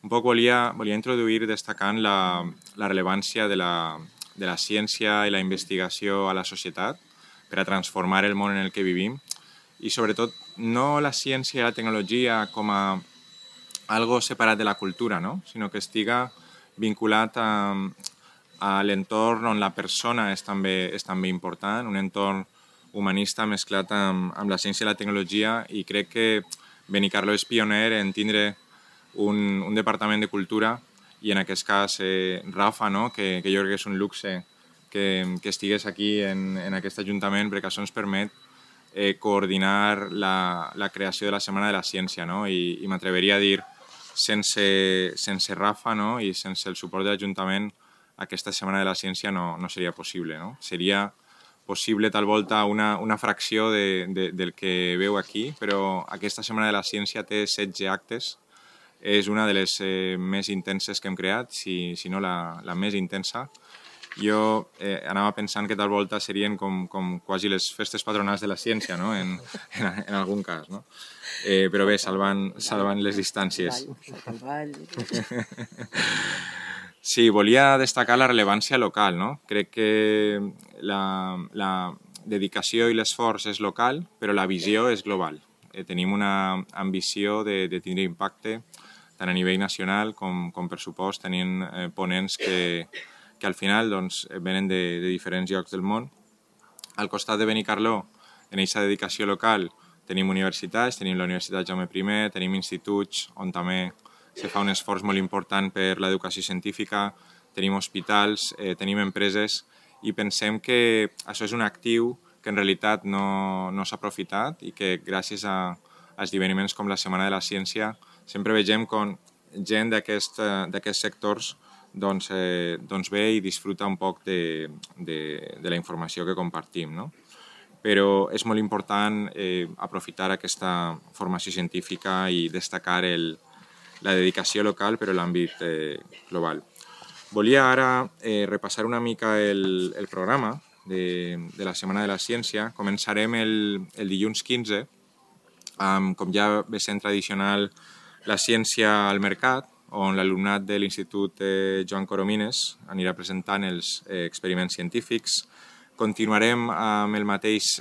Un poc volia introduir destacant la rellevància de la ciència i la investigació a la societat per a transformar el món en el que vivim i sobretot no la ciència i la tecnologia com a algo separat de la cultura, no? Sinó que estiga vinculat a l'entorn on la persona és també important, un entorn humanista mesclat amb la ciència i la tecnologia, i crec que Benicarló és pioner en tindre un departament de cultura i en aquest cas Rafa, no? que jo crec que és un luxe que estigués aquí en aquest Ajuntament, perquè això ens permet coordinar la creació de la Setmana de la Ciència, no? I m'atreveria a dir, sense Rafa, no? I sense el suport de l'Ajuntament, aquesta Setmana de la Ciència no seria possible, no? Seria possible tal volta una fracció del que veu aquí, però aquesta Setmana de la Ciència té 16 actes, és una de les més intenses que hem creat, si no la més intensa. Jo anava pensant que tal volta serien com quasi les festes patronals de la ciència, no? en algun cas, no? Però bé, salvant les distàncies. Sí, volia destacar la rellevància local, no? Crec que la dedicació i l'esforç és local, però la visió és global. Tenim una ambició de tindre impacte tant a nivell nacional com per supost tenint ponents que al final doncs, venen de diferents llocs del món. Al costat de Benicarló, en aquesta dedicació local, tenim universitats, tenim la Universitat Jaume I, tenim instituts on també se fa un esforç molt important per l'educació científica, tenim hospitals, tenim empreses, i pensem que això és un actiu que en realitat no s'ha aprofitat i que gràcies a esdeveniments com la Setmana de la Ciència sempre vegem com gent d'aquests sectors doncs ve i disfruta un poc de la informació que compartim, no? Però és molt important aprofitar aquesta formació científica i destacar la dedicació local però l'àmbit global. Volia ara repassar una mica el programa de la Setmana de la Ciència. Començarem el dilluns 15, com ja ve sent tradicional, la ciència al mercat, on l'alumnat de l'Institut Joan Coromines anirà presentant els experiments científics. Continuarem amb el mateix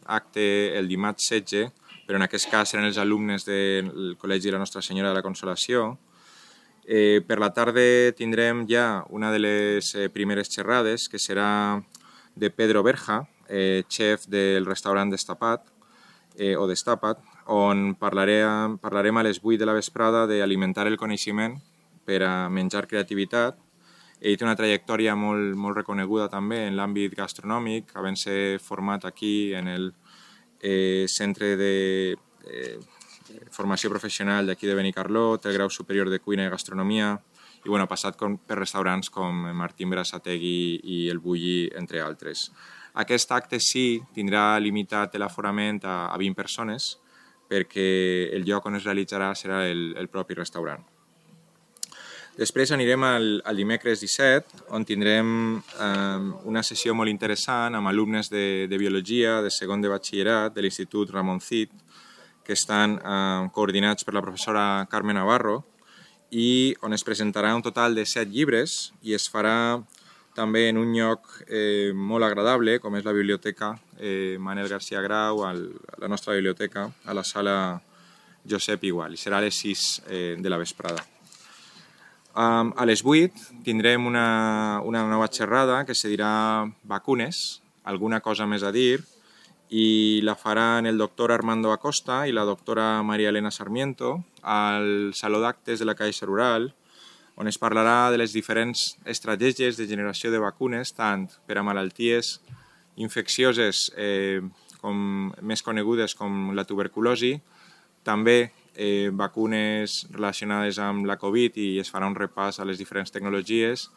acte el dimarts 16, però en aquest cas seran els alumnes del Col·legi de la Nostra Senyora de la Consolació. Per la tarda tindrem ja una de les primeres xerrades, que serà de Pedro Berja, xef del restaurant Destapat, o Destapat, on parlarem a les 8 de la vesprada d'alimentar el coneixement per a menjar creativitat. Ell té una trajectòria molt reconeguda també en l'àmbit gastronòmic, havent-se format aquí en el Centre de Formació Professional d'aquí de Benicarló, té el grau superior de Cuina i Gastronomia, i ha passat per restaurants com Martín Berasategui i el Bulli, entre altres. Aquest acte sí tindrà limitat l'aforament a 20 persones, perquè el lloc on es realitzarà serà el propi restaurant. Després anirem al dimecres 17, on tindrem una sessió molt interessant amb alumnes de biologia, de segon de batxillerat, de l'Institut Ramon Cid, que estan coordinats per la professora Carme Navarro, i on es presentarà un total de 7 llibres i es farà també en un lloc molt agradable, com és la Biblioteca Manel García Grau, la nostra biblioteca, a la sala Josep Igual, i serà a les 6 de la vesprada. A les 8 tindrem una nova xerrada que se dirà Vacunes, alguna cosa més a dir, i la faran el doctor Armando Acosta i la doctora María Elena Sarmiento al Saló d'Actes de la Caixa Rural, on es parlarà de les diferents estratègies de generació de vacunes, tant per a malalties infeccioses més conegudes com la tuberculosi, també vacunes relacionades amb la Covid, i es farà un repàs a les diferents tecnologies,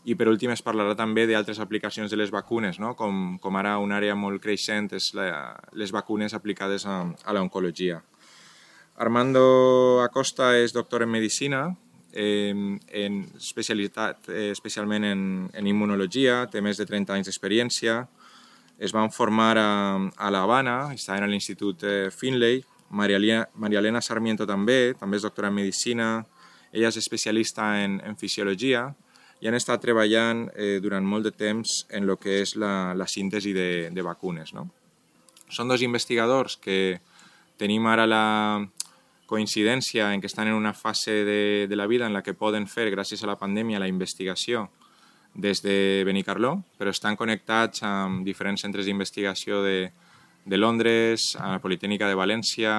i per últim es parlarà també d'altres aplicacions de les vacunes, no? Com ara una àrea molt creixent és les vacunes aplicades a l'oncologia. Armando Acosta és doctor en Medicina, especialment en immunologia, té més de 30 anys d'experiència, es van formar a l'Havana, estaven a l'Institut Finlay. María Elena Sarmiento també és doctora en Medicina, Ella és especialista en fisiologia i han estat treballant durant molt de temps en el que és la síntesi de vacunes, no? Són dos investigadors que tenim ara la coincidència en que estan en una fase de la vida en la que poden fer, gràcies a la pandèmia, la investigació des de Benicarló, però estan connectats amb diferents centres d'investigació de Londres, a la Politècnica de València,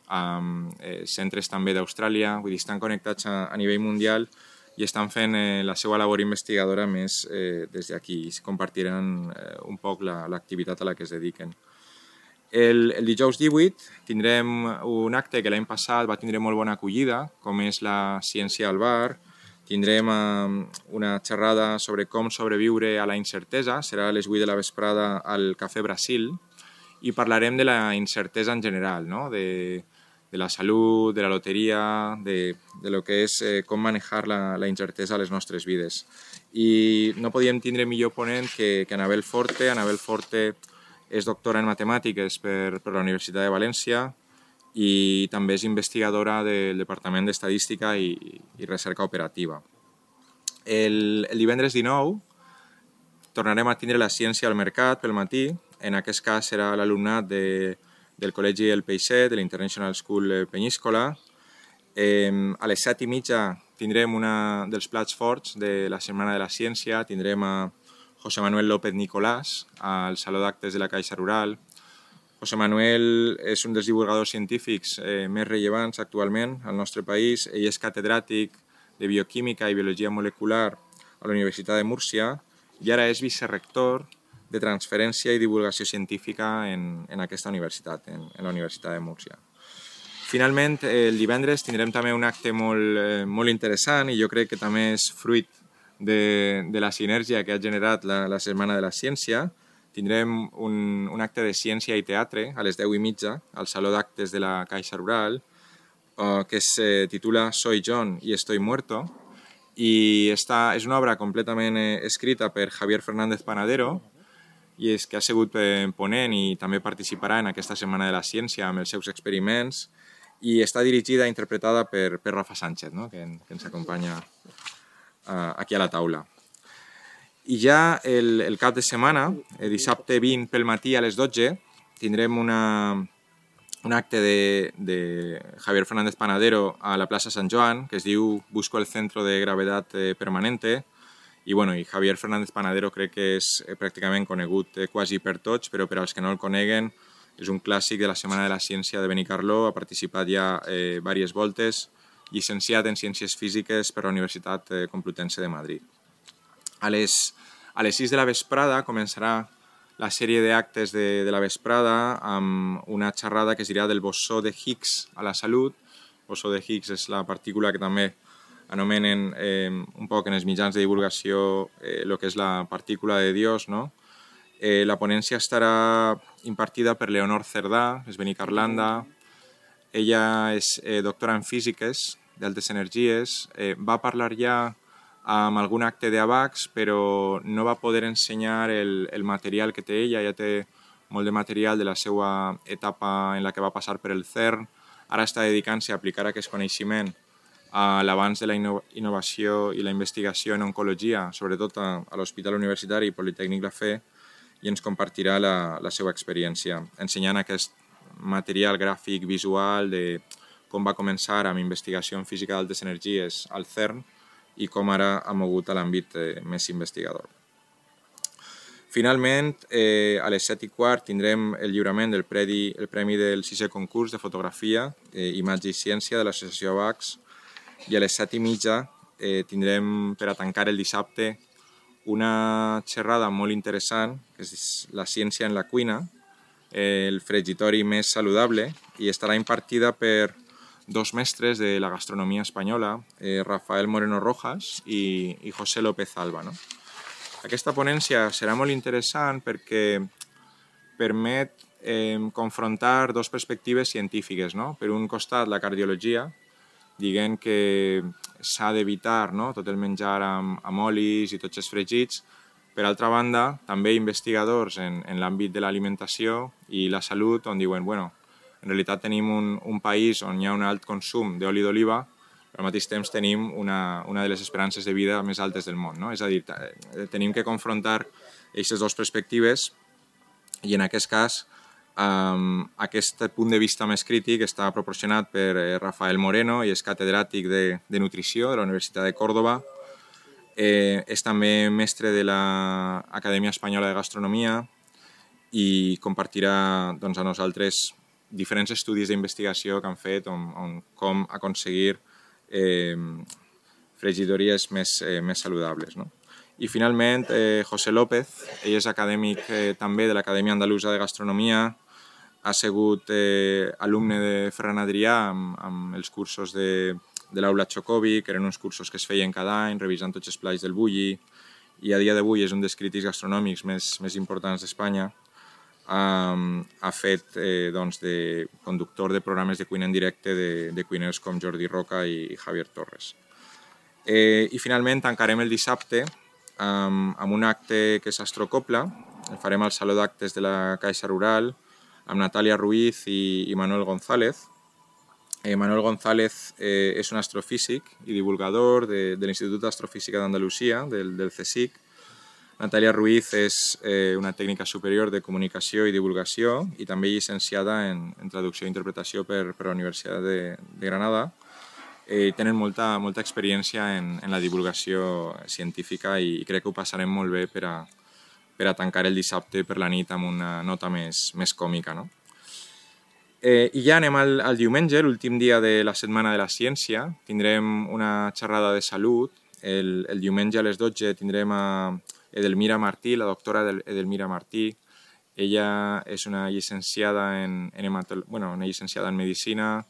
amb centres també d'Austràlia, vull dir, estan connectats a nivell mundial i estan fent la seva labor investigadora més des d'aquí i compartiran un poc l'activitat a la que es dediquen. El dijous 18 tindrem un acte que l'any passat va tindre molt bona acollida, com és la ciència al bar. Tindrem una xerrada sobre com sobreviure a la incertesa, serà a les 8 de la vesprada al Cafè Brasil, i parlarem de la incertesa en general, no? De la salut, de la loteria, de lo que és com manejar la incertesa a les nostres vides. I no podíem tindre millor ponent que Anabel Forte. Anabel Forte és doctora en matemàtiques per la Universitat de València i també és investigadora del Departament d'Estadística i Recerca Operativa. El divendres 19 tornarem a tindre la ciència al mercat pel matí. En aquest cas serà l'alumnat del Col·legi El Peixet, de l'International School Penyíscola. A les 7:30 tindrem un dels plats forts de la Setmana de la Ciència. Tindrem a José Manuel López Nicolás al Saló d'Actes de la Caixa Rural. José Manuel és un dels divulgadors científics més rellevants actualment al nostre país. Ell és catedràtic de Bioquímica i Biologia Molecular a la Universitat de Múrcia i ara és vicerrector de transferència i divulgació científica en aquesta universitat, en la Universitat de Múrcia. Finalment, el divendres tindrem també un acte molt interessant i jo crec que també és fruit de la sinergia que ha generat la Setmana de la Ciència. Tindrem un acte de ciència i teatre a les 10:30 al Saló d'Actes de la Caixa Rural que es titula Soy John y estoy muerto i és una obra completament escrita per Javier Fernández Panadero i és que ha sigut ponent i també participarà en aquesta Setmana de la Ciència amb els seus experiments i està dirigida i interpretada per Rafa Sánchez, no? que ens acompanya aquí a la taula. I ja el cap de setmana, dissabte 20 pel matí a les 12, tindrem un acte de Javier Fernández Panadero a la plaça Sant Joan que es diu Busco el centro de gravedad permanente. I Javier Fernández Panadero crec que és pràcticament conegut quasi per tots, però per als que no el coneguen és un clàssic de la Setmana de la Ciència de Benicarló, ha participat ja diverses voltes, llicenciat en Ciències Físiques per la Universitat Complutense de Madrid. A les 6 de la vesprada començarà la sèrie d'actes de la vesprada amb una xerrada que es dirà del bosó de Higgs a la salut. El bosó de Higgs és la partícula que també anomenen un poc en els mitjans de divulgació el que és la partícula de Dios, no? La ponència estarà impartida per Leonor Cerdà, és benicarlanda. Ella és doctora en físiques d'altes energies. Va parlar ja amb algun acte d'AVAX, però no va poder ensenyar el material que té ella. Ella té molt de material de la seva etapa en la que va passar per el CERN. Ara està dedicant-se a aplicar aquest coneixement a l'avanç de la innovació i la investigació en oncologia, sobretot a l'Hospital Universitari Politècnic La Fe, i ens compartirà la seva experiència, ensenyant aquest material gràfic visual de com va començar amb investigació en física d'altes energies al CERN i com ara ha mogut a l'àmbit més investigador. Finalment, a les 7:15 tindrem el lliurament del premi del 6è concurs de fotografia, imatge i ciència de l'associació AVAX, i a les 7:30 tindrem, per a tancar el dissabte, una xerrada molt interessant, que és la ciència en la cuina, el fregitori més saludable, i estarà impartida per dos mestres de la gastronomia espanyola, Rafael Moreno Rojas i José López Alba, no? Aquesta ponència serà molt interessant perquè permet confrontar dues perspectives científiques, no? Per un costat, la cardiologia, dient que s'ha d'evitar, no? Tot el menjar amb olis i tots els fregits. Per altra banda, també investigadors en l'àmbit de l'alimentació i la salut, on diuen, en realitat tenim un país on hi ha un alt consum d'oli d'oliva, però al mateix temps tenim una de les esperances de vida més altes del món, no? És a dir, tenim que confrontar aquestes dues perspectives i en aquest cas aquest punt de vista més crític està proporcionat per Rafael Moreno i és catedràtic de nutrició de la Universitat de Còrdova. És també mestre de l'Acadèmia Espanyola de Gastronomia i compartirà doncs, a nosaltres diferents estudis d'investigació que han fet on com aconseguir fregidories més saludables, no? I finalment, José López, ell és acadèmic també de l'Acadèmia Andalusa de Gastronomia, ha sigut alumne de Ferran Adrià amb els cursos de l'aula Chocobi, que eren uns cursos que es feien cada any, revisant tots els plats del Bulli, i a dia d'avui és un dels crítics gastronòmics més importants d'Espanya. Ha fet doncs, de conductor de programes de cuina en directe de cuiners com Jordi Roca i Javier Torres. I finalment tancarem el dissabte amb un acte que és Astrocopla. El farem al Saló d'Actes de la Caixa Rural amb Natàlia Ruiz i Manuel González. Manuel González és un astrofísic i divulgador de l'Institut d'Astrofísica d'Andalusia, del CSIC. Natàlia Ruiz és una tècnica superior de comunicació i divulgació i també llicenciada en traducció i interpretació per la Universitat de Granada. Tenen molta experiència en la divulgació científica i crec que ho passarem molt bé per a tancar el dissabte per la nit amb una nota més còmica, no? I ja anem al diumenge, l'últim dia de la Setmana de la Ciència. Tindrem una xerrada de salut. El diumenge a les 12 tindrem a Edelmira Martí, la doctora Edelmira Martí. Ella és una llicenciada en medicina,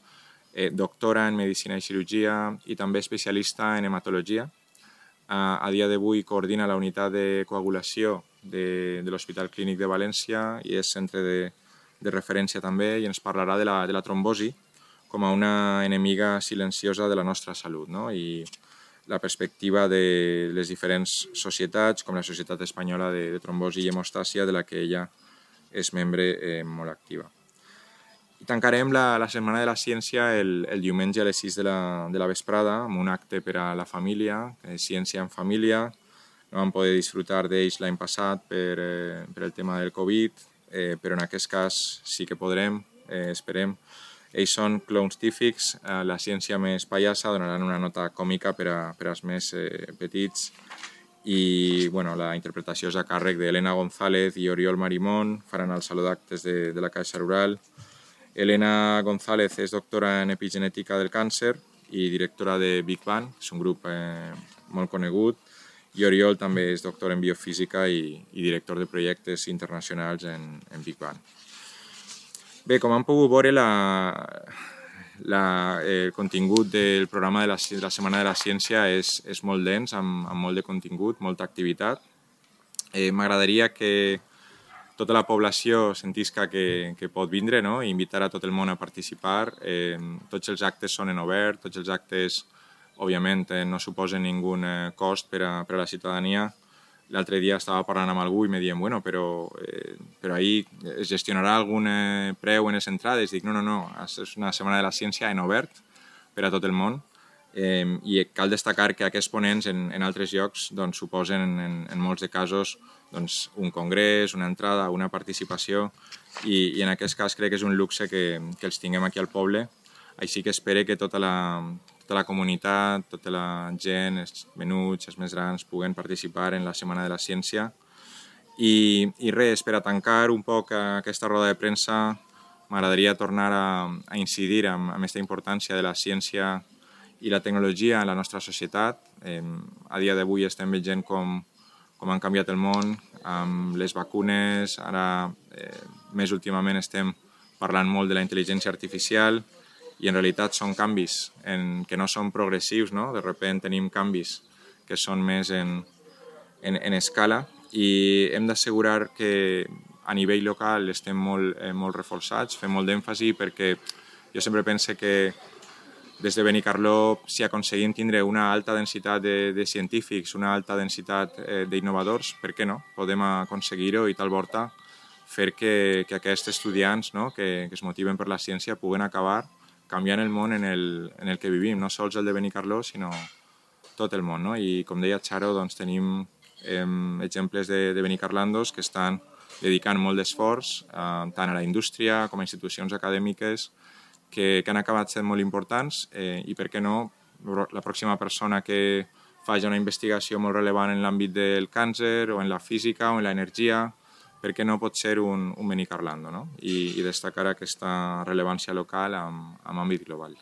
doctora en medicina i cirurgia i també especialista en hematologia. A dia d'avui coordina la unitat de coagulació de l'Hospital Clínic de València i és centre de referència també i ens parlarà de la trombosi com a una enemiga silenciosa de la nostra salut, no? I la perspectiva de les diferents societats, com la Societat Espanyola de Trombosi i Hemostàsia, de la que ella és membre molt activa. I tancarem la Setmana de la Ciència el diumenge a les 6 de la vesprada amb un acte per a la família, Ciència en Família. No vam poder disfrutar d'ells l'any passat per el tema del Covid, però en aquest cas sí que podrem, esperem. Ells són clowns tífics, la ciència més pallassa, donaran una nota còmica per als més petits i la interpretació és a càrrec d'Helena González i Oriol Marimón, faran el Saló d'Actes de la Caixa Rural. Helena González és doctora en epigenètica del càncer i directora de Big Bang, és un grup molt conegut, i Oriol també és doctor en biofísica i director de projectes internacionals en Big Bang. Bé, com han pogut veure, el contingut del programa de la Setmana de la Ciència és molt dens, amb molt de contingut, molta activitat. M'agradaria que tota la població sentisca que pot vindre, no? I invitar a tot el món a participar. Tots els actes són en obert, tots els actes, òbviament, no suposen ningú cost per a la ciutadania. L'altre dia estava parlant amb algú i me diuen, bueno, però ahir es gestionarà algun preu en les entrades? Dic, no, és una Setmana de la Ciència en obert per a tot el món i cal destacar que aquests ponents en altres llocs suposen en molts de casos un congrés, una entrada, una participació i en aquest cas crec que és un luxe que els tinguem aquí al poble. Així que espero que tota la comunitat, tota la gent, els menuts, els més grans, puguen participar en la Setmana de la Ciència. I res, per a tancar un poc aquesta roda de premsa, m'agradaria tornar a incidir en aquesta importància de la ciència i la tecnologia en la nostra societat. A dia d'avui estem veient com han canviat el món amb les vacunes. Ara, més últimament, estem parlant molt de la intel·ligència artificial i en realitat són canvis que no són progressius, no? De sobte tenim canvis que són més en escala i hem d'assegurar que a nivell local estem molt reforçats, fem molt d'èmfasi perquè jo sempre penso que des de Benicarló, si aconseguim tindre una alta densitat de científics, una alta densitat d'innovadors, per què no? Podem aconseguir-ho i tal volta fer que aquests estudiants, no? que es motiven per la ciència puguen acabar canviant el món en el que vivim, no sols el de Benicarló, sinó tot el món. No? I com deia Charo, doncs, tenim exemples de benicarlandos que estan dedicant molt d'esforç tant a la indústria com a institucions acadèmiques que han acabat sent molt importants i, per què no, la pròxima persona que faci una investigació molt rellevant en l'àmbit del càncer o en la física o en l'energia, per què no pot ser un benicarlando, no? I destacar aquesta rellevància local amb àmbit global.